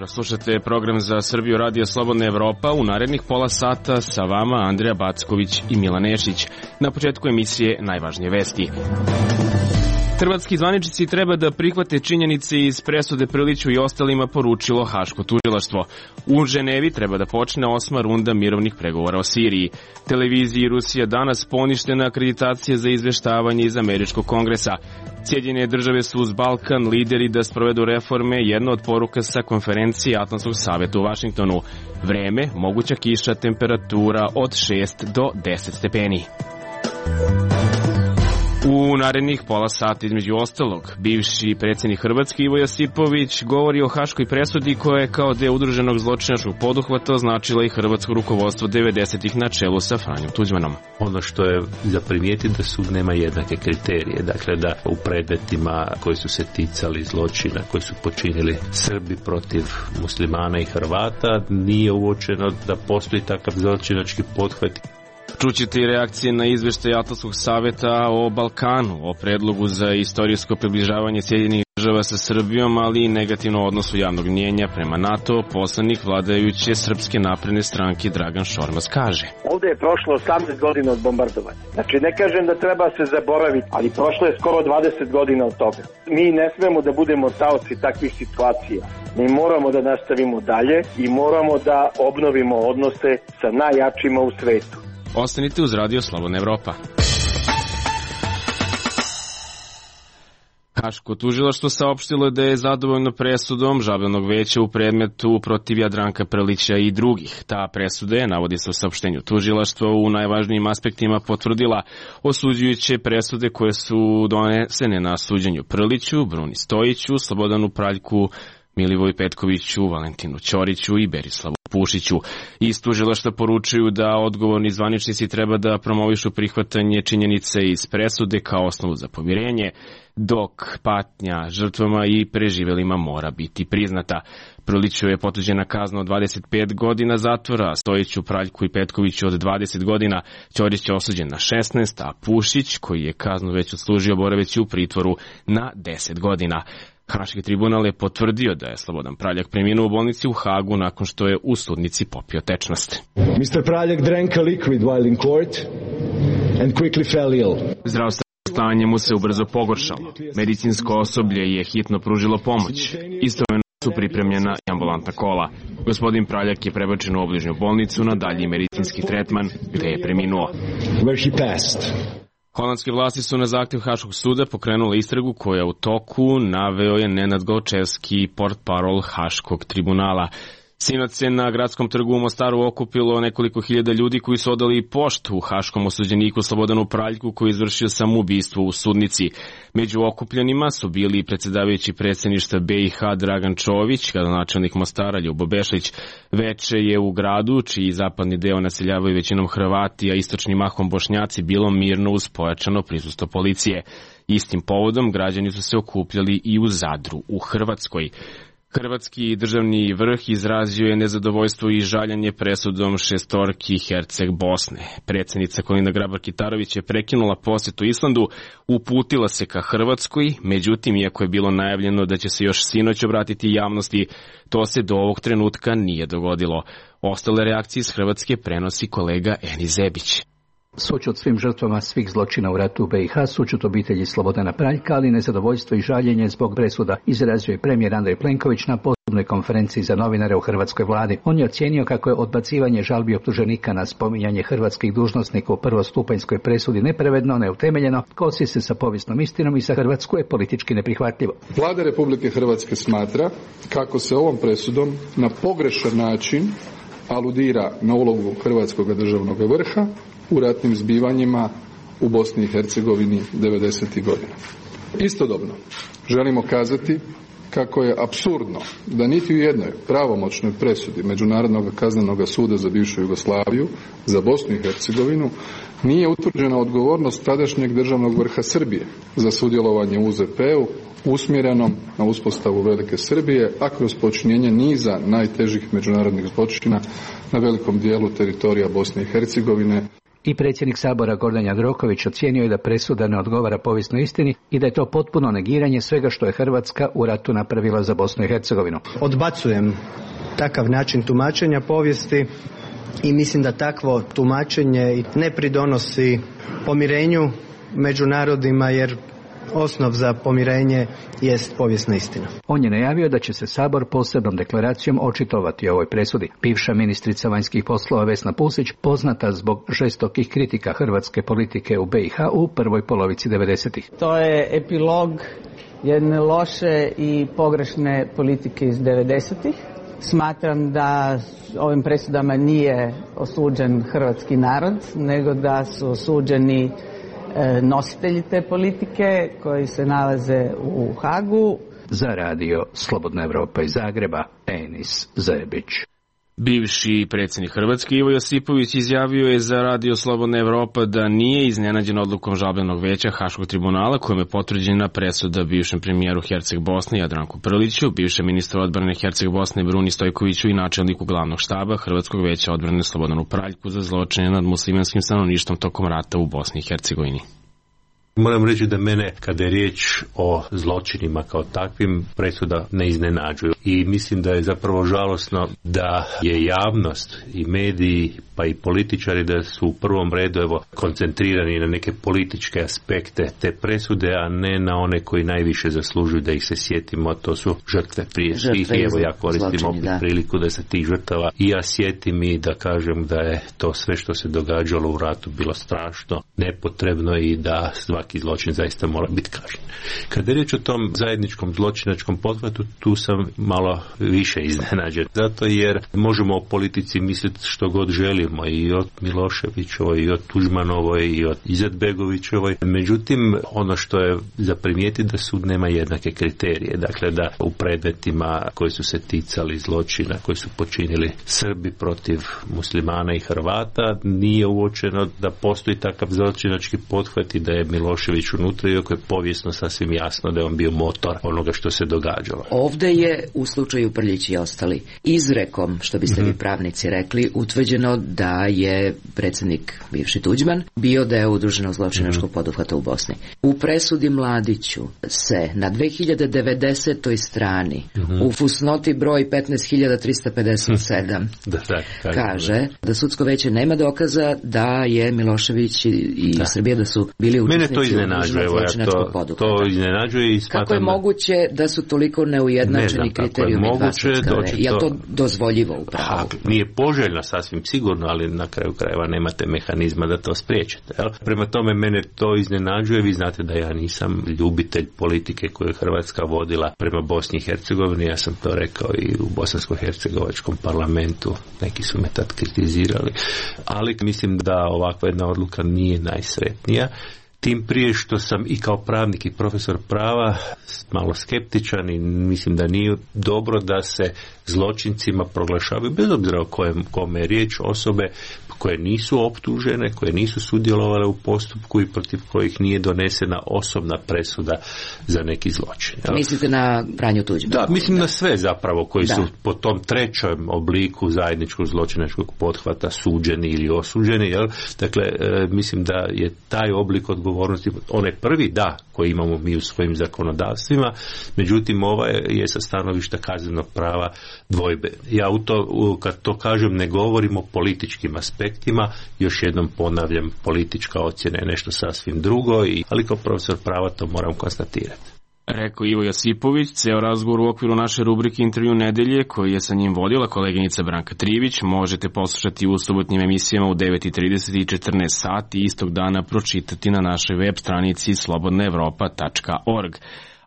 Slušate program za Srbiju Radio Slobodna Evropa. U narednih pola sata sa vama Andreja Backović i Milan Nešić. Na početku emisije najvažnije vesti. Hrvatski zvaničnici treba da prihvate činjenice iz presude Prliću i ostalima, poručilo Haško tužilaštvo. U Ženevi treba da počne 8. runda mirovnih pregovora o Siriji. Televiziji Rusija danas poništena akreditacija za izveštavanje iz Američkog kongresa. Sjedinjene države su uz Balkan lideri da sprovedu reforme, jedna od poruka sa konferencije Atlantskog saveta u Vašingtonu. Vreme, moguća kiša, temperatura od 6 do 10 stepeni. U narednih pola sata, između ostalog, bivši predsjednik Hrvatske Ivo Josipović govori o haškoj presudi koja je kao deo udruženog zločinačkog poduhvata označila i hrvatsko rukovodstvo 90-ih na čelu sa Franjom Tuđmanom. Ono što je za primijetiti da sud nema jednake kriterije, dakle da u predmetima koji su se ticali zločina koji su počinili Srbi protiv muslimana i Hrvata nije uočeno da postoji takav zločinački pothvat. Čućete i reakcije na izveštaj Atlantskog saveta o Balkanu, o predlogu za istorijsko približavanje Sjedinjenih država sa Srbijom, ali i negativno odnosu javnog mnjenja prema NATO. Poslanik vladajuće Srpske napredne stranke Dragan Šormaz kaže: Ovde je prošlo 18 godina od bombardovanja. Znači, ne kažem da treba se zaboraviti, ali prošlo je skoro 20 godina od toga. Mi ne smemo da budemo taoci takvih situacija. Mi moramo da nastavimo dalje i moramo da obnovimo odnose sa najjačima u svetu. Ostanite uz Radio Slobodna Evropa. Haško tužilaštvo saopštilo da je zadovoljno presudom žalbenog veća u predmetu protiv Jadranka Prlića i drugih. Ta presuda je, navodi se u saopštenju tužilaštva, u najvažnijim aspektima potvrdila osuđujuće presude koje su donesene na suđenju Prliću, Bruni Stojiću, Slobodanu Praljku, Milivoju Petkoviću, Valentinu Ćoriću i Berislavu Pušiću. Iz tužilaštva poručuju da odgovorni zvaničnici treba da promovišu prihvatanje činjenice iz presude kao osnovu za pomirenje, dok patnja žrtvama i preživelima mora biti priznata. Prliću je potuđena kazna od 25 godina zatvora, Stojiću, Praljku i Petkoviću od 20 godina, Ćorić je osuđen na 16, a Pušić, koji je kaznu već odslužio, boraveći u pritvoru na 10 godina. Haški tribunal je potvrdio da je Slobodan Praljak preminuo u bolnici u Hagu nakon što je u sudnici popio tečnost. Mr. Praljak drank a liquid while in court and quickly fell ill. Zdravstveno stanje mu se ubrzo pogoršalo. Medicinsko osoblje je hitno pružilo pomoć. Istovremeno su pripremljena i ambulantna kola. Gospodin Praljak je prebačen u obližnju bolnicu na dalji medicinski tretman, gde je preminuo. Where he passed. Holandske vlasti su na zahtjev Haškog suda pokrenule istragu koja u toku, naveo je Nenad Galčevski, portparol Haškog tribunala. Sinoć se na gradskom trgu u Mostaru okupilo nekoliko hiljada ljudi koji su odali poštu haškom osuđeniku Slobodanu Praljku koji je izvršio samoubistvo u sudnici. Među okupljenima su bili predsjedavajući predsjedništva BiH Dragan Čović, gradonačelnik Mostara Ljubo Bešlić. Veče je u gradu, čiji zapadni deo naseljavaju većinom Hrvati, a istočni mahom Bošnjaci, bilo mirno uz pojačano prisustvo policije. Istim povodom građani su se okupljali i u Zadru u Hrvatskoj. Hrvatski državni vrh izrazio je nezadovoljstvo i žaljenje presudom šestorki Herceg Bosne. Predsjednica Kolinda Grabar-Kitarović je prekinula posjetu Islandu, uputila se ka Hrvatskoj, međutim, iako je bilo najavljeno da će se još sinoć obratiti javnosti, to se do ovog trenutka nije dogodilo. Ostale reakcije iz Hrvatske prenosi kolega Eni Zebić. Sućut svim žrtvama svih zločina u ratu u BiH, sućut obitelji Slobodana Praljka, ali nezadovoljstvo i žaljenje zbog presuda izrazio je premijer Andrej Plenković na posebnoj konferenciji za novinare u hrvatskoj vladi. On je ocijenio kako je odbacivanje žalbi optuženika na spominjanje hrvatskih dužnosnika u prvostupanjskoj presudi nepravedno, neutemeljeno, kosi se sa povijesnom istinom i za Hrvatsku je politički neprihvatljivo. Vlada Republike Hrvatske smatra kako se ovom presudom na pogrešan način aludira na ulogu hrvatskog državnog vrha u ratnim zbivanjima u Bosni i Hercegovini 90. godina. Istodobno želimo kazati kako je apsurdno da niti u jednoj pravomoćnoj presudi Međunarodnog kaznenog suda za bivšu Jugoslaviju, za Bosnu i Hercegovinu, nije utvrđena odgovornost tadašnjeg državnog vrha Srbije za sudjelovanje u UZP-u usmjerenom na uspostavu Velike Srbije, a kroz počinjenje niza najtežih međunarodnih zločina na velikom dijelu teritorija Bosne i Hercegovine. I predsjednik Sabora Gordan Jandroković ocijenio je da presuda ne odgovara povijesnoj istini i da je to potpuno negiranje svega što je Hrvatska u ratu napravila za Bosnu i Hercegovinu. Odbacujem takav način tumačenja povijesti i mislim da takvo tumačenje ne pridonosi pomirenju među narodima, jer osnov za pomirenje jest povijesna istina. On je najavio da će se Sabor posebnom deklaracijom očitovati o ovoj presudi. Bivša ministrica vanjskih poslova Vesna Pusić, poznata zbog žestokih kritika hrvatske politike u BiH u prvoj polovici 90-ih. To je epilog jedne loše i pogrešne politike iz 90-ih. Smatram da ovim presudama nije osuđen hrvatski narod, nego da su osuđeni nositelji te politike koji se nalaze u Hagu. Za radio Slobodna Evropa iz Zagreba, Enis Zebić. Bivši predsjednik Hrvatske Ivo Josipović izjavio je za radio Slobodna Evropa da nije iznenađen odlukom žalbenog veća Haškog tribunala kojom je potvrđena presuda bivšem premijeru Herceg Bosne Jadranku Prliću, bivšem ministru odbrane Herceg Bosne Bruni Stojkoviću i načelniku glavnog štaba Hrvatskog veća odbrane Slobodanu Praljku za zločine nad muslimanskim stanovništvom tokom rata u Bosni i Hercegovini. Moram reći da mene, kada je riječ o zločinima kao takvim, presuda ne iznenađuju. I mislim da je zapravo žalosno da je javnost i mediji pa i političari da su u prvom redu koncentrirani na neke političke aspekte te presude, a ne na one koji najviše zaslužuju da ih se sjetimo, to su žrtve prije svih. I evo ja koristim opet priliku da se tih žrtava i ja sjetim i da kažem da je to sve što se događalo u ratu bilo strašno, nepotrebno i da svaki zločin zaista mora biti kažnjen. Kada je riječ o tom zajedničkom zločinačkom pothvatu, tu sam malo više iznenađen. Zato jer možemo o politici misliti što god želimo, i od Miloševićovoj, i od Tuđmanovoj, i od Izetbegovićevoj. Međutim, ono što je za primijetiti da sud nema jednake kriterije. Dakle, da u predmetima koji su se ticali zločina, koji su počinili Srbi protiv muslimana i Hrvata, nije uočeno da postoji takav zločinački pothvat i da je Milošević unutra, iako je povijesno sasvim jasno da je on bio motor onoga što se događalo. Ovdje je u slučaju Prljić i ostali izrekom, što biste vi pravnici rekli, utvrđeno da je predsjednik bivši Tuđman bio deo udruženog zločinačkog poduhvata u Bosni. U presudi Mladiću se na 2090. strani u fusnoti broj 15.357 kaže da sudsko veće nema dokaza da je Milošević i Srbija da su bili učesnici udruženog zločinačkog poduhvata. To iznenađuje i smatram. Kako je moguće da su toliko neujednačeni kriterijumi dva sudska veća? Je to dozvoljivo u pravu? Nije poželjno sasvim sigurno, ali na kraju krajeva nemate mehanizma da to spriječite. Jel? Prema tome mene to iznenađuje. Vi znate da ja nisam ljubitelj politike koju je Hrvatska vodila prema Bosni i Hercegovini. Ja sam to rekao i u bosansko-hercegovačkom parlamentu. Neki su me tad kritizirali. Ali mislim da ovakva jedna odluka nije najsretnija. Tim prije što sam i kao pravnik i profesor prava malo skeptičan i mislim da nije dobro da se zločincima proglašavaju, bez obzira o kome je riječ, osobe koje nisu optužene, koje nisu sudjelovale u postupku i protiv kojih nije donesena osobna presuda za neki zločin. Mislite na Franju Tuđmana? Da, mislim na sve zapravo koji su po tom trećem obliku zajedničkog zločinačkog pothvata suđeni ili osuđeni. Jel? Dakle, mislim da je taj oblik odgovornosti, onaj prvi koji imamo mi u svojim zakonodavstvima, međutim ovaj je sa stanovišta kaznenog prava dvojbe. Ja kad to kažem ne govorim o političkim aspektima, još jednom ponavljam, politička ocjena je nešto sasvim drugo, ali kao profesor prava to moram konstatirati. Rekao Ivo Josipović. Ceo razgovor u okviru naše rubrike Intervju nedelje, koji je sa njim vodila koleginica Branka Trivić, možete poslušati u subotnjim emisijama u 9:30 i 14 sati i istog dana pročitati na našoj web stranici slobodnaevropa.org.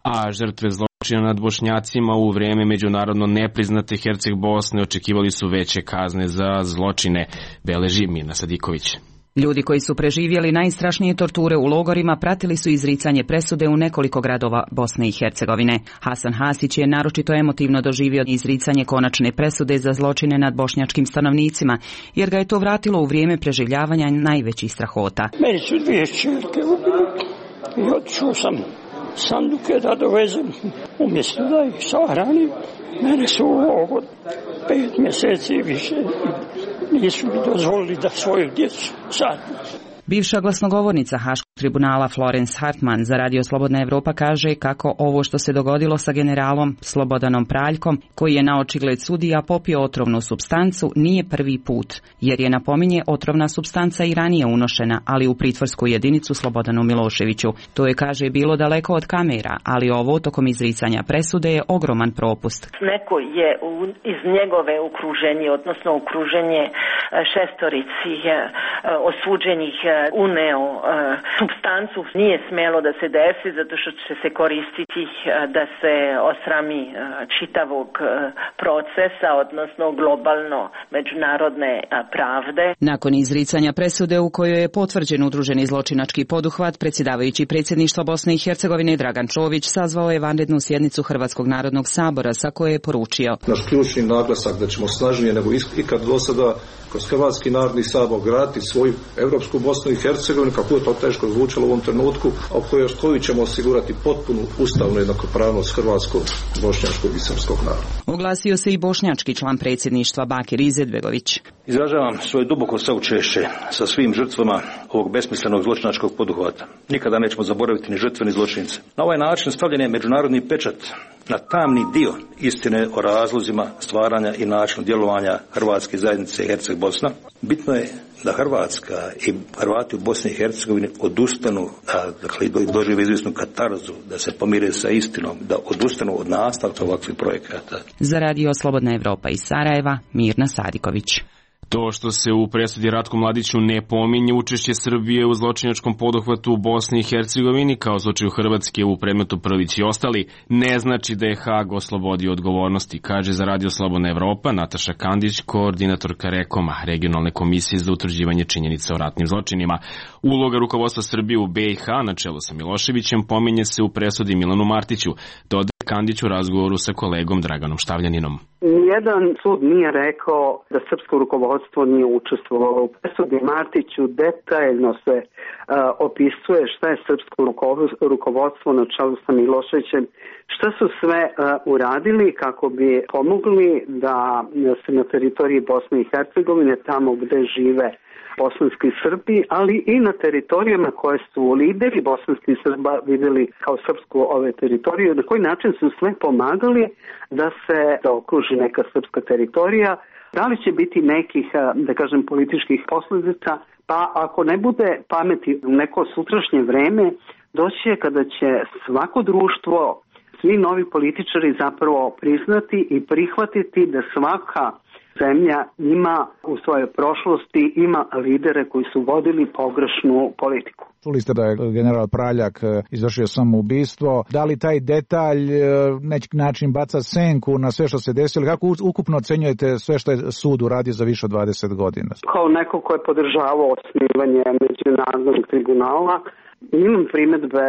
A žrtve zločina nad Bošnjacima u vrijeme međunarodno nepriznate Herceg Bosne očekivali su veće kazne za zločine, beleži Mirna Sadiković. Ljudi koji su preživjeli najstrašnije torture u logorima pratili su izricanje presude u nekoliko gradova Bosne i Hercegovine. Hasan Hasić je naročito emotivno doživio izricanje konačne presude za zločine nad bošnjačkim stanovnicima, jer ga je to vratilo u vrijeme preživljavanja najvećih strahota. Meni su 2 ćerke ubili i otišao sam sanduke da dovezem, umjesto da ih sahranim. Mene su u logor 5 mjeseci više nisu mi dozvolili da svoju djecu sadim. Bivša glasnogovornica Haškog tribunala Florence Hartman za Radio Slobodna Evropa kaže kako ovo što se dogodilo sa generalom Slobodanom Praljkom, koji je na očigled sudija popio otrovnu supstancu, nije prvi put, jer je, napominje, otrovna supstanca i ranije unošena, ali u pritvorsku jedinicu Slobodanu Miloševiću. To je, kaže, bilo daleko od kamera, ali ovo tokom izricanja presude je ogroman propust. Neko je iz njegove okruženje, odnosno okruženje šestorici osuđenih uneo supstancu, nije smjelo da se desi zato što će se koristiti da se osrami čitavog procesa, odnosno globalno međunarodne pravde. Nakon izricanja presude u kojoj je potvrđen udruženi zločinački poduhvat, predsjedavajući predsjedništva Bosne i Hercegovine Dragan Čović sazvao je vanrednu sjednicu Hrvatskog narodnog sabora sa koje je poručio: naš ključni naglasak da ćemo snažnije nego ikad do sada kroz Hrvatski narodni sabor graditi svoju evropsku Bosnu i Hercegovinu, kako je to teško zvučalo u ovom trenutku, a koju ćemo osigurati potpunu ustavnu jednakopravnost hrvatskog, bošnjačkog i srpskog naroda. Oglasio se i bošnjački član predsjedništva Bakir Izetbegović. Izražavam svoje duboko saučešće sa svim žrtvama ovog besmislenog zločinačkog poduhvata. Nikada nećemo zaboraviti ni žrtve ni zločince. Na ovaj način stavljen je međunarodni pečat na tamni dio istine o razlozima stvaranja i načinu djelovanja Hrvatske zajednice Herceg-Bosna. Bitno je da Hrvatska i Hrvati u Bosni i Hercegovini odustanu, dakle dožive izvisnu katarzu, da se pomire sa istinom, da odustanu od nastavka ovakvih projekata. Za Radio Slobodna Evropa iz Sarajeva, Mirna Sadiković. To što se u presudi Ratku Mladiću ne pominje učešće Srbije u zločinačkom poduhvatu u Bosni i Hercegovini, kao slučaju Hrvatske u predmetu Prlić i ostali, ne znači da je Hag oslobodio odgovornosti, kaže za Radio Slobodna Evropa Nataša Kandić, koordinatorka REKOM-a, regionalne komisije za utvrđivanje činjenica o ratnim zločinima. Uloga rukovodstva Srbije u BiH na čelu sa Miloševićem pominje se u presudi Milanu Martiću, dodaje Kandić u razgovoru sa kolegom Draganom Štavljaninom. Nijedan sud nije rekao da srpsko rukovodstvo nije učestvovalo u presudi Martiću. Detaljno se opisuje šta je srpsko rukovodstvo na čelu sa Miloševićem, šta su sve uradili kako bi pomogli da se na teritoriji Bosne i Hercegovine, tamo gde žive bosanski Srbi, ali i na teritorijama koje su lideri bosanskih Srba vidjeli kao srpsku ove teritorije, na koji način su sve pomagali da se zaokruži neka srpska teritorija. Da li će biti nekih, da kažem, političkih posljedica? Pa ako ne bude pameti u neko sutrašnje vreme, doći je kada će svako društvo, svi novi političari zapravo priznati i prihvatiti da svaka zemlja ima u svojoj prošlosti, ima lidere koji su vodili pogrešnu politiku. Čuli ste da je general Praljak izvršio samoubistvo. Da li taj detalj neki način baca senku na sve što se desilo? Kako ukupno ocenjujete sve što je sud uradio za više od 20 godina? Kao neko ko je podržavao osnivanje međunarodnog tribunala, imam primjedbe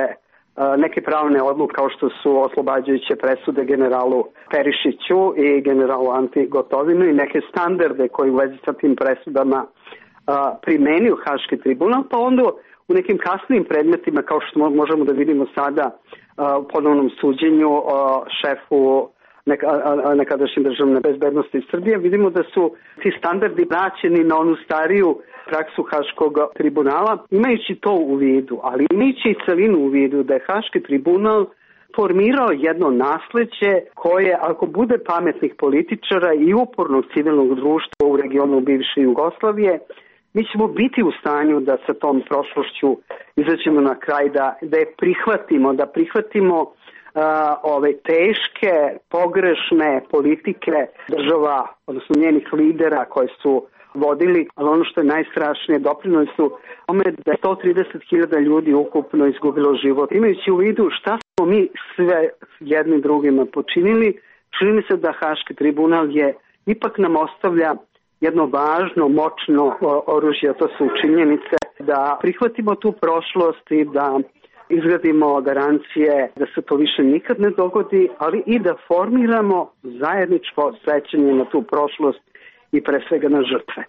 neke pravne odluke kao što su oslobađajuće presude generalu Perišiću i generalu Anti Gotovinu i neke standarde koji u vezi sa tim presudama primenio Haški tribunal, pa onda u nekim kasnijim predmetima kao što možemo da vidimo sada u ponovnom suđenju šefu nekadašnje državne bezbednosti Srbije, vidimo da su ti standardi vraćeni na onu stariju praksu Haškog tribunala, imajući to u vidu, ali imajući i celinu u vidu da je Haški tribunal formirao jedno nasleđe koje, ako bude pametnih političara i upornog civilnog društva u regionu bivše Jugoslavije, mi ćemo biti u stanju da sa tom prošlošću izađemo na kraj, da je prihvatimo, da prihvatimo ove teške, pogrešne politike država, odnosno njenih lidera koje su vodili, ali ono što je najstrašnije, doprinijeli su tome da je 130.000 ljudi ukupno izgubilo život. Imajući u vidu šta smo mi sve jednim drugima počinili, čini mi se da Haški tribunal ipak nam ostavlja jedno važno, moćno oružje, to su činjenice, da prihvatimo tu prošlost i da izgradimo garancije da se to više nikad ne dogodi, ali i da formiramo zajedničko sećanje na tu prošlost i pre svega na žrtve.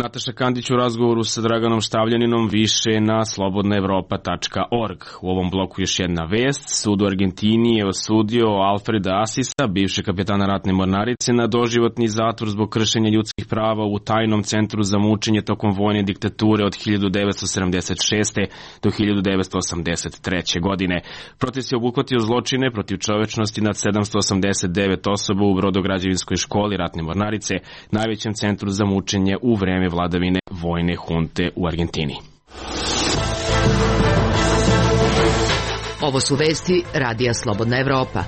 Nataša Kandić u razgovoru sa Draganom Štavljaninom više na slobodnaevropa.org. U ovom bloku još jedna vest. Sud u Argentini je osudio Alfreda Asisa, bivšeg kapetana ratne mornarice, na doživotni zatvor zbog kršenja ljudskih prava u tajnom centru za mučenje tokom vojne diktature od 1976. do 1983. godine. Proces je obuhvatio zločine protiv čovečnosti nad 789 osoba u Brodograđevinskoj školi ratne mornarice, najvećem centru za mučenje u vreme vladavine vojne hunte u Argentini. Ovo su vesti Radija Slobodna Evropa.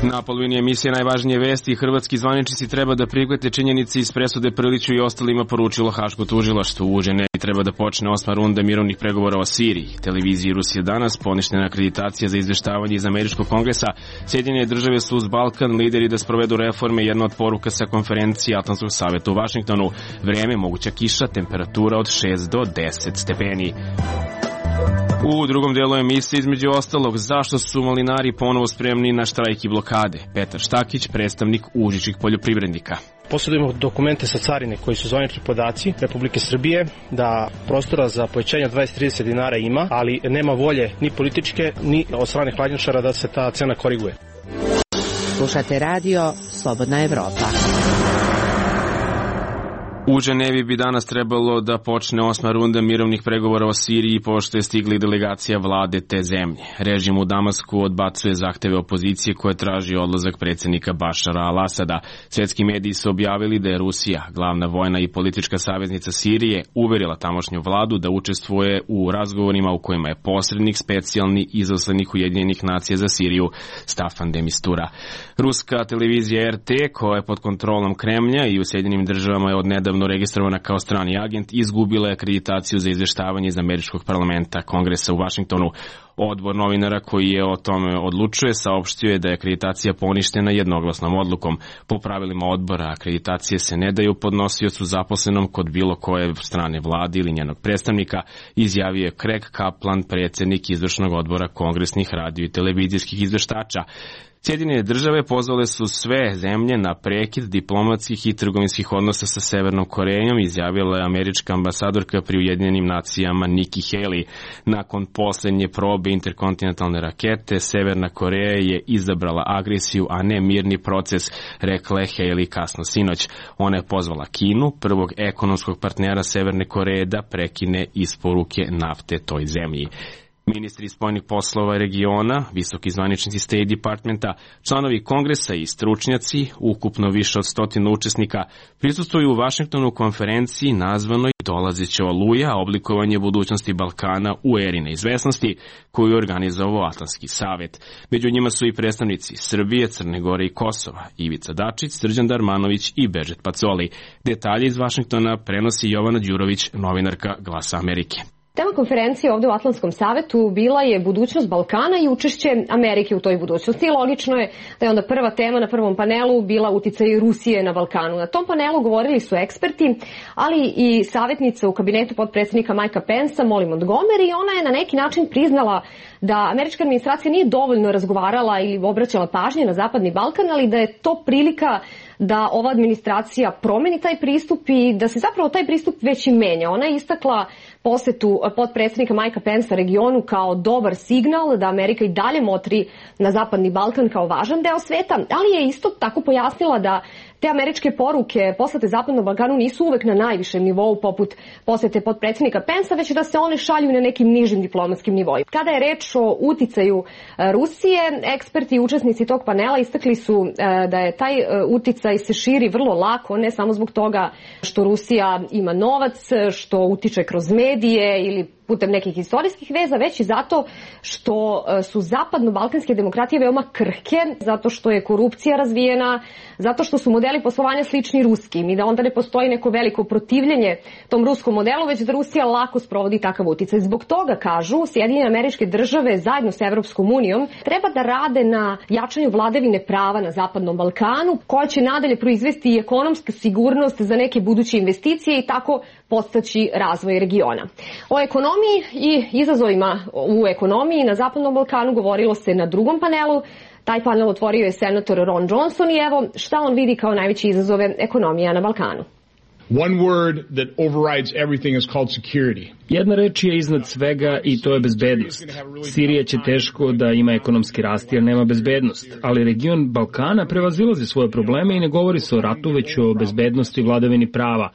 Na polovini emisije najvažnije vesti hrvatski zvaničnici treba da prihvate činjenice iz presude Prliću i ostalima, poručilo Haško tužilaštvo. U Ženevi treba da počne 8. runda mirovnih pregovora o Siriji. Televiziji Rusije danas poništena akreditacija za izveštavanje iz Američkog kongresa. Sjedinjene države su uz Balkan lideri da sprovedu reforme, jedna od poruka sa konferencije Atlantskog saveta u Vašingtonu. Vreme, moguća kiša, temperatura od 6 do 10 stepeni. U drugom delu emisije, između ostalog, zašto su malinari ponovo spremni na štrajk i blokade. Petar Štakić, predstavnik užičkih poljoprivrednika. Posjedujemo dokumente sa carine koji su zvanični podaci Republike Srbije da prostora za povećanje od 20-30 dinara ima, ali nema volje ni političke ni od strane hladnjačara da se ta cena koriguje. Slušate radio Slobodna Evropa. U Ženevi bi danas trebalo da počne 8. runda mirovnih pregovora o Siriji, pošto je stigla delegacija vlade te zemlje. Režim u Damasku odbacuje zahteve opozicije koje traži odlazak predsjednika Bašara al-Asada. Svetski mediji su objavili da je Rusija, glavna vojna i politička saveznica Sirije, uverila tamošnju vladu da učestvuje u razgovorima u kojima je posrednik specijalni izaslanik Ujedinjenih nacija za Siriju Staffan de Mistura. Ruska televizija RT, koja je pod kontrolom Kremlja i u Sjedinjenim državama je odnedavno registrovana kao strani agent, izgubila je akreditaciju za izveštavanje iz Američkog parlamenta Kongresa u Vašingtonu. Odbor novinara koji je o tome odlučuje saopštio je da je akreditacija poništena jednoglasnom odlukom. Po pravilima odbora, akreditacije se ne daju podnosiocu zaposlenom kod bilo koje strane vlade ili njenog predstavnika, izjavio je Craig Kaplan, predsjednik izvršnog odbora kongresnih radio i televizijskih izveštača. Sjedinjene države pozvale su sve zemlje na prekid diplomatskih i trgovinskih odnosa sa Severnom Korejom, izjavila je američka ambasadorka pri Ujedinjenim nacijama Nikki Haley. Nakon posljednje probe interkontinentalne rakete, Severna Koreja je izabrala agresiju, a ne mirni proces, rekla je Haley kasno sinoć. Ona je pozvala Kinu, prvog ekonomskog partnera Severne Koreje, da prekine isporuke nafte toj zemlji. Ministri spoljnih poslova regiona, visoki zvaničnici State Departmenta, članovi kongresa i stručnjaci, ukupno više od 100 učesnika, prisustvuju u Vašingtonu konferenciji nazvanoj Dolazeća oluja, oblikovanje budućnosti Balkana u eri neizvesnosti, koju je organizovao Atlantski savet. Među njima su i predstavnici Srbije, Crne Gore i Kosova, Ivica Dačić, Srđan Darmanović i Bežet Pacoli. Detalje iz Vašingtona prenosi Jovana Đurović, novinarka Glasa Amerike. Tema konferencije ovdje u Atlantskom savetu bila je budućnost Balkana i učešće Amerike u toj budućnosti. I logično je da je onda prva tema na prvom panelu bila uticaj Rusije na Balkanu. Na tom panelu govorili su eksperti, ali i savjetnica u kabinetu potpredsjednika Mikea Pensa, Molly Montgomery, i ona je na neki način priznala da američka administracija nije dovoljno razgovarala ili obraćala pažnje na Zapadni Balkan, ali da je to prilika da ova administracija promeni taj pristup i da se zapravo taj pristup već i menja. Ona je istakla posetu potpredsjednika Mikea Pensa regionu kao dobar signal da Amerika i dalje motri na Zapadni Balkan kao važan deo sveta, ali je isto tako pojasnila da te američke poruke poslate Zapadnom Balkanu nisu uvek na najvišem nivou poput posete potpredsjednika Pensa, već da se one šalju na nekim nižim diplomatskim nivoima. Kada je reč o uticaju Rusije, eksperti i učesnici tog panela istakli su da je taj uticaj se širi vrlo lako, ne samo zbog toga što Rusija ima novac, što utiče kroz medije ili putem nekih istorijskih veza, već i zato što su zapadno-balkanske demokratije veoma krhke, zato što je korupcija razvijena, zato što su modeli poslovanja slični ruskim i da onda ne postoji neko veliko protivljenje tom ruskom modelu, već da Rusija lako sprovodi takav uticaj. Zbog toga, kažu, Sjedinjene Američke Države zajedno sa Evropskom unijom treba da rade na jačanju vladavine prava na Zapadnom Balkanu, koja će nadalje proizvesti i ekonomsku sigurnost za neke buduće investicije i tako podstaći razvoj regiona. O ekonomiji i izazovima u ekonomiji na Zapadnom Balkanu govorilo se na drugom panelu. Taj panel otvorio je senator Ron Johnson i evo šta on vidi kao najveće izazove ekonomija na Balkanu. One word that overrides everything is called security. Jedna reč je iznad svega i to je bezbednost. Sirija će teško da ima ekonomski rast jer nema bezbednost, ali region Balkana prevazilazi svoje probleme i ne govori se o ratu, već o bezbednosti i vladavini prava.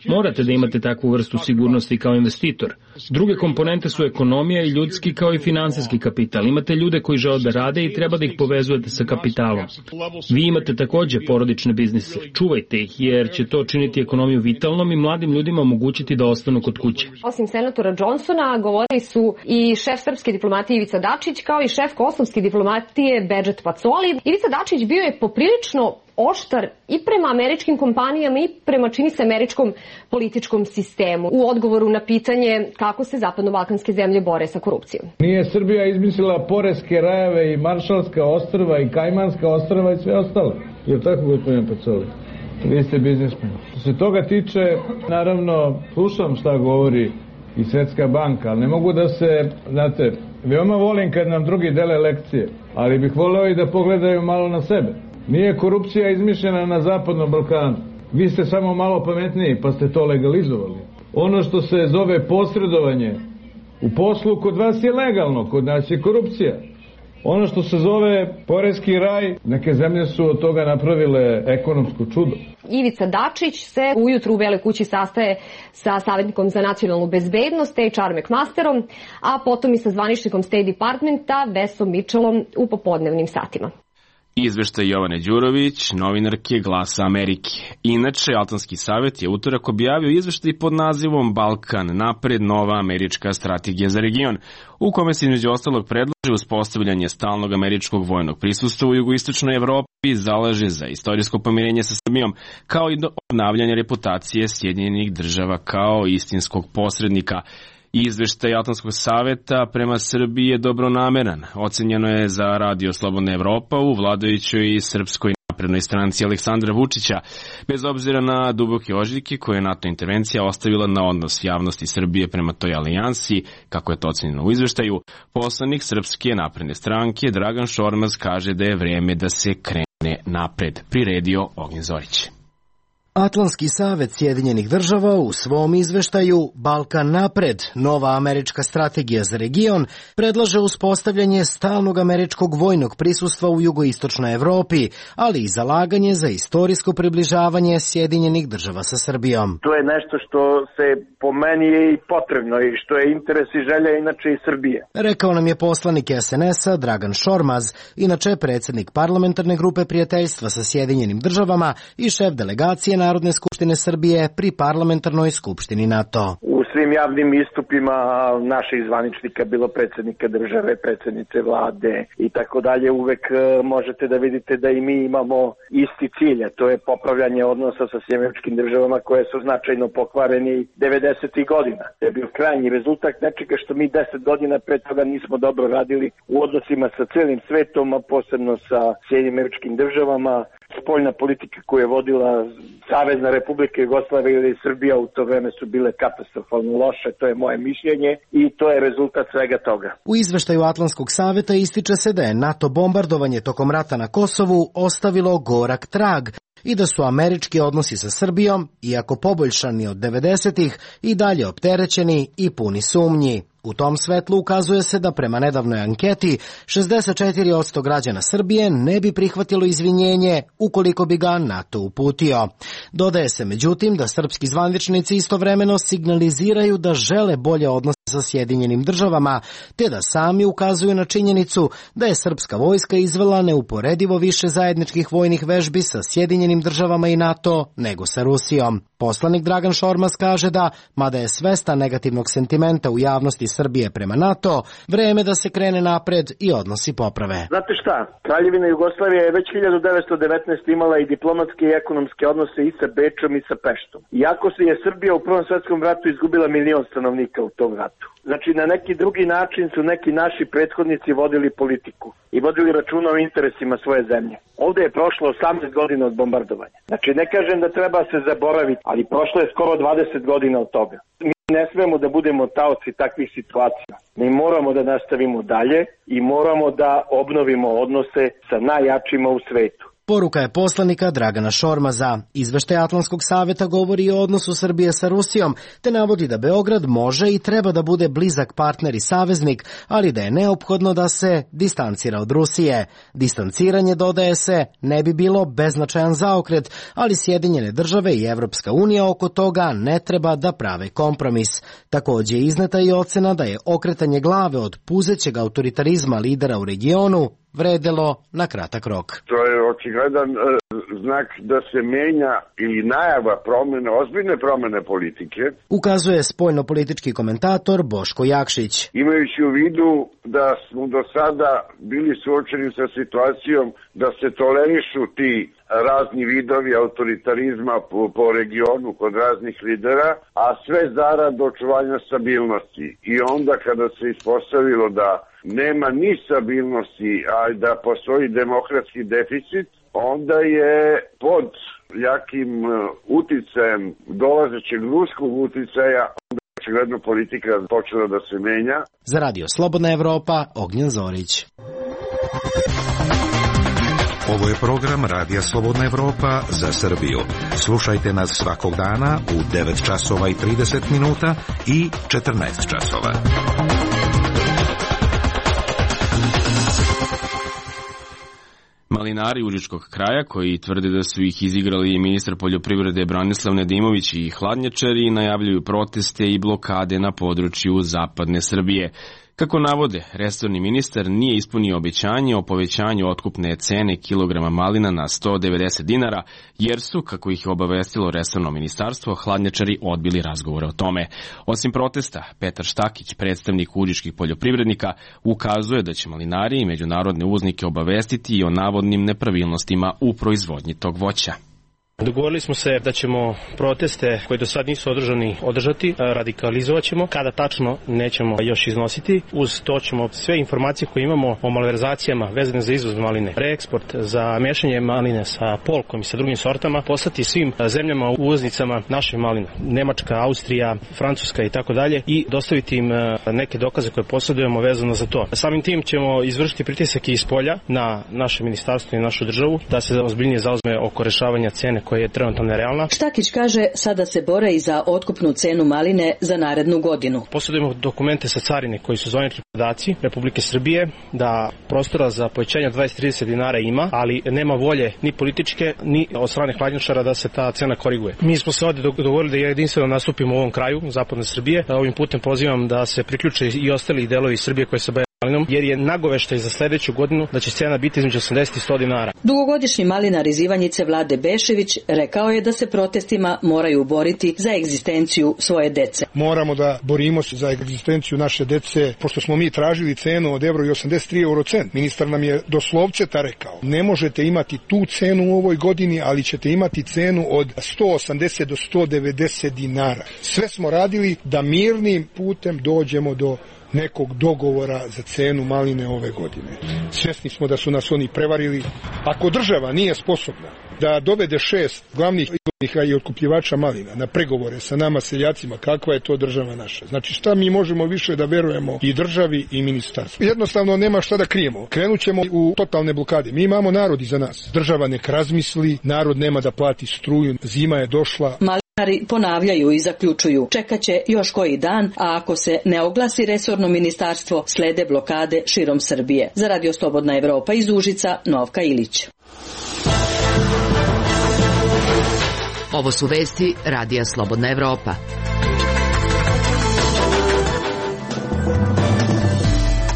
Morate da imate takvu vrstu sigurnosti kao investitor. Druge komponente su ekonomija i ljudski kao i finansijski kapital. Imate ljude koji žele da rade i treba da ih povezujete sa kapitalom. Vi imate takođe porodične biznise. Čuvajte ih jer će to činiti ekonomiju vitalnom i mladim ljudima omogućiti da ostanu kod kuće. Osim senatora Johnsona, govorili su i šef srpske diplomatije Ivica Dačić, kao i šef kosovske diplomatije Bedžet Pacoli. Ivica Dačić bio je poprilično oštar i prema američkim kompanijama i prema, čini se, američkom političkom sistemu u odgovoru na pitanje kako se zapadno-balkanske zemlje bore sa korupcijom. Nije Srbija izmislila poreske rajeve i Maršalska ostrva i Kajmanska ostrva i sve ostalo. Je li tako, gospodine Pacoli? Vi ste biznismen. Što se toga tiče, naravno, slušam šta govori i Svetska banka, ali ne mogu da se, znate, veoma volim kad nam drugi dele lekcije, ali bih voleo i da pogledaju malo na sebe. Nije korupcija izmišljena na Zapadnom Balkanu. Vi ste samo malo pametniji pa ste to legalizovali. Ono što se zove posredovanje u poslu kod vas je legalno, kod nas je korupcija. Ono što se zove poreski raj, neke zemlje su od toga napravile ekonomsko čudo. Ivica Dačić se ujutru u Beloj kući sastaje sa savjetnikom za nacionalnu bezbednost, HR McMasterom, a potom i sa zvaničnikom State Departmenta, Vesom Mitchellom u popodnevnim satima. Izveštaj Jovane Đurović, novinarke Glasa Amerike. Inače, Atlantski savjet je utorak objavio izveštaj pod nazivom Balkan napred, nova američka strategija za region, u kome se između ostalog predlaže uspostavljanje stalnog američkog vojnog prisustva u jugoistočnoj Evropi i zalaže za istorijsko pomirenje sa Srbijom, kao i do obnavljanja reputacije Sjedinjenih Država kao istinskog posrednika. Izveštaj Atlantskog savjeta prema Srbiji je dobronameran. Ocenjeno je za Radio Slobodna Evropa u vladajućoj Srpskoj naprednoj stranci Aleksandra Vučića, bez obzira na duboke ožiljke koje je NATO intervencija ostavila na odnos javnosti Srbije prema toj alijansi, kako je to ocenjeno u izveštaju. Poslanik Srpske napredne stranke Dragan Šormaz kaže da je vreme da se krene napred, priredio Ognjen Zorić. Atlantski savjet Sjedinjenih Država u svom izveštaju Balkan napred, nova američka strategija za region, predlaže uspostavljanje stalnog američkog vojnog prisustva u jugoistočnoj Evropi, ali i zalaganje za istorijsko približavanje Sjedinjenih Država sa Srbijom. To je nešto što se po meni je i potrebno i što je interes i želja inače i Srbije. Rekao nam je poslanik SNS-a Dragan Šormaz, inače predsjednik parlamentarne grupe prijateljstva sa Sjedinjenim Državama i šef delegacije Narodne skupštine Srbije pri parlamentarnoj skupštini NATO. U svim javnim istupima naših zvaničnika, bilo predsjednika države, predsjednice vlade i tako dalje, uvek možete da vidite da i mi imamo isti cilj, a to je popravljanje odnosa sa Sjedinjenim Državama koje su značajno pokvareni 90. godina. To je bio krajnji rezultat nečega što mi 10 godina pre toga nismo dobro radili u odnosima sa cijelim svetom, a posebno sa Sjedinjenim Državama. Spoljna politika koju je vodila Savezna Republika Jugoslavija ili Srbija u to vreme su bile katastrofalno loše, to je moje mišljenje i to je rezultat svega toga. U izveštaju Atlantskog savjeta ističe se da je NATO bombardovanje tokom rata na Kosovu ostavilo gorak trag i da su američki odnosi sa Srbijom, iako poboljšani od 90-ih, i dalje opterećeni i puni sumnji. U tom svetlu ukazuje se da prema nedavnoj anketi 64% građana Srbije ne bi prihvatilo izvinjenje ukoliko bi ga NATO uputio. Dodaje se međutim da srpski zvaničnici istovremeno signaliziraju da žele bolje odnose sa Sjedinjenim državama, te da sami ukazuju na činjenicu da je srpska vojska izvela neuporedivo više zajedničkih vojnih vežbi sa Sjedinjenim državama i NATO nego sa Rusijom. Poslanik Dragan Šormaz kaže da, mada je svestan negativnog sentimenta u javnosti Srbije prema NATO, vreme da se krene napred i odnosi poprave. Znate šta, Kraljevina Jugoslavija je već 1919 imala i diplomatske i ekonomske odnose i sa Bečom i sa Peštom. Iako se je Srbija u Prvom svetskom ratu izgubila 1 milion stanovnika u tom ratu. Znači, na neki drugi način su neki naši prethodnici vodili politiku i vodili računa o interesima svoje zemlje. Ovde je prošlo 18 godina od bombardovanja. Znači, ne kažem da treba se zaboraviti, ali prošlo je skoro 20 godina od toga. Mi ne smemo da budemo taoci takvih situacija. Mi moramo da nastavimo dalje i moramo da obnovimo odnose sa najjačima u svetu. Poruka je poslanika Dragana Šormaza. Izveštaj Atlantskog saveta govori o odnosu Srbije sa Rusijom, te navodi da Beograd može i treba da bude blizak partner i saveznik, ali da je neophodno da se distancira od Rusije. Distanciranje, dodaje se, ne bi bilo beznačajan zaokret, ali Sjedinjene države i Evropska unija oko toga ne treba da prave kompromis. Takođe je izneta i ocena da je okretanje glave od puzećeg autoritarizma lidera u regionu vredelo na kratak rok. To je očigledan znak da se menja ili najava promene, ozbiljne promene politike. Ukazuje spoljnopolitički komentator Boško Jakšić. Imajući u vidu da smo do sada bili suočeni sa situacijom da se tolerišu ti razni vidovi autoritarizma po regionu kod raznih lidera, a sve zarad očuvanja stabilnosti. I onda kada se ispostavilo da nema ni stabilnosti, a da postoji demokratski deficit, onda je pod jakim uticajem dolazećeg ruskog uticaja očigledno politika počela da se menja. Za Radio Slobodna Evropa, Ognjen Zorić. Ovo je program Radija Slobodna Evropa za Srbiju. Slušajte nas svakog dana u 9 časova i 30 minuta i 14 časova. Malinari Užičkog kraja, koji tvrde da su ih izigrali ministar poljoprivrede Branislav Nedimović i hladnjačari, najavljuju proteste i blokade na području zapadne Srbije. Kako navode, resorni ministar nije ispunio obećanje o povećanju otkupne cene kilograma malina na 190 dinara, jer su, kako ih je obavestilo resorno ministarstvo, hladnjačari odbili razgovore o tome. Osim protesta, Petar Štakić, predstavnik užičkih poljoprivrednika, ukazuje da će malinari i međunarodne uvoznike obavestiti i o navodnim nepravilnostima u proizvodnji tog voća. Dogovorili smo se da ćemo proteste koji do sad nisu održati, radikalizovat ćemo. Kada tačno nećemo još iznositi. Uz to ćemo sve informacije koje imamo o malverzacijama vezane za izvoz maline, reeksport, za mešanje maline sa polkom i sa drugim sortama, poslati svim zemljama uvoznicama naših malina. Nemačka, Austrija, Francuska i tako dalje i dostaviti im neke dokaze koje posjedujemo vezano za to. Samim tim ćemo izvršiti pritisak iz polja na naše ministarstvo i našu državu da se ozbiljnije zauzme oko rešavanja cene koja je trenutno nerealna. Štakić kaže sada se bore i za otkupnu cenu maline za narednu godinu. Posjedujemo dokumente sa carine koji su zvanični podaci Republike Srbije da prostora za povećanje 20-30 dinara ima, ali nema volje ni političke ni od strane hladnjačara da se ta cena koriguje. Mi smo se ovdje dogovorili da jedinstveno nastupimo u ovom kraju zapadne Srbije. Ovim putem pozivam da se priključe i ostali delovi Srbije koji se bave malinom, jer je nagoveštaj za sledeću godinu da će cena biti između 80 i 100 dinara. Dugogodišnji malinar iz Ivanjice Vlade Bešević rekao je da se protestima moraju boriti za egzistenciju svoje dece. Moramo da borimo se za egzistenciju naše dece, pošto smo mi tražili cenu od €1,83 eurocent. Ministar nam je doslovce rekao, ne možete imati tu cenu u ovoj godini, ali ćete imati cenu od 180 do 190 dinara. Sve smo radili da mirnim putem dođemo do nekog dogovora za cenu maline ove godine. Svjesni smo da su nas oni prevarili. Ako država nije sposobna da dovede 6 glavnih izvoznika i otkupljivača malina na pregovore sa nama seljacima, kakva je to država naša? Znači šta mi možemo više da verujemo i državi i ministarstvu? Jednostavno nema šta da krijemo. Krenut ćemo u totalne blokade. Mi imamo narod iza nas. Država nek razmisli, narod nema da plati struju, zima je došla. Malinari ponavljaju i zaključuju. Čekaće još koji dan, a ako se ne oglasi resorno ministarstvo, slede blokade širom Srbije. Za Radio Slobodna Evropa iz Užica, Novka Ilić. Ovo su vesti Radija Slobodna Evropa.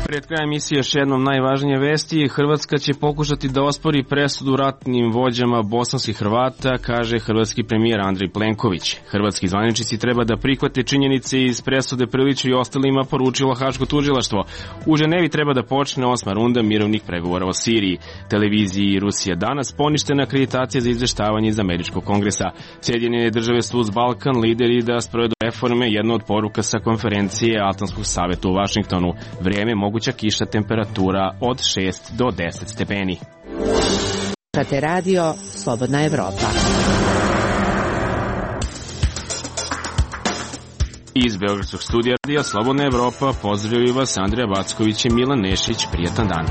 Pred krajem emisije još jednom najvažnije vesti. Hrvatska će pokušati da ospori presudu ratnim vođama bosanskih Hrvata, kaže hrvatski premijer Andrej Plenković. Hrvatski zvaničnici treba da prihvate činjenice iz presude Prliću i ostalima, poručilo Haško tužilaštvo. U Ženevi treba da počne 8. runda mirovnih pregovora o Siriji. Televiziji Rusija danas poništena akreditacija za izveštavanje iz Američkog kongresa. Sjedinjene države su uz Balkan lideri da sprovedu reforme, jedna od poruka sa konferencije Atlantskog saveta u Vašingtonu. Vrijeme, moguća kiša, temperatura od 6 do 10 stepeni. Slušate radio Slobodna Evropa. Iz Beogradskog studija radija Slobodna Evropa pozdravljaju vas Andrija Backović i Milan Nešić. Prijatan dan.